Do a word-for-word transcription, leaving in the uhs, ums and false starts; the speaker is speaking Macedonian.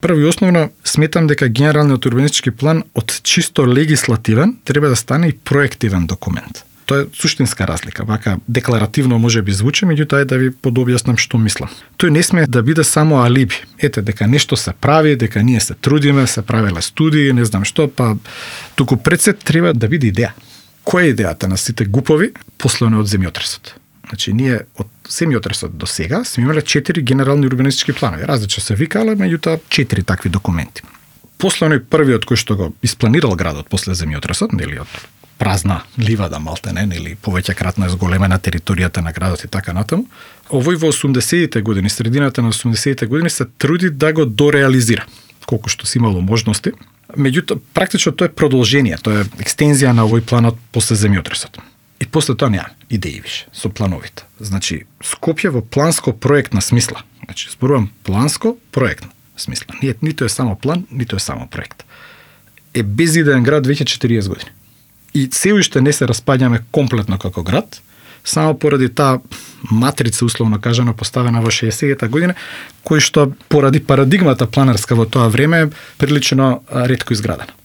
Прво и основно, сметам дека генералниот урбанистички план од чисто легислативен треба да стане и проективен документ. Тоа е суштинска разлика. Вака декларативно може би звучи, меѓутоа е да ви подобјаснам што мислам. Тој не сме да биде само алиби. Ете, дека нешто се прави, дека ние се трудиме, се правеле студии, не знам што, па туку пред се треба да биде идеја. Која е идејата на сите гупови послани од земјотресот? Значи, ние од земјотресот до сега сме имале четири генерални урбанистички планови. Различно се викале, меѓутоа четири такви документи. Послано и првиот кој што го испланирал градот после земјотресот, нели од празна ливада малтене, или повеќекратно е зголемена територијата на градот и така натаму. Овој во осумдесетите години, средината на осумдесетите години се труди да го дореализира, колку што си имало можности. Меѓутоа, практично тоа е продолжение, тоа е екстензија на овој планот после земјотресот. И после тоа нема идеи више со плановите. Значи, Скопје во планско-проектна смисла. Значи, зборувам планско-проектна смисла. Ние, нито е само план, нито е само проект. Е безидеен град веќе четириесет години. И се уште не се распаѓаме комплетно како град, само поради таа матрица, условно кажано, поставена во шеесетта година, кој што поради парадигмата планерска во тоа време е прилично ретко изградена.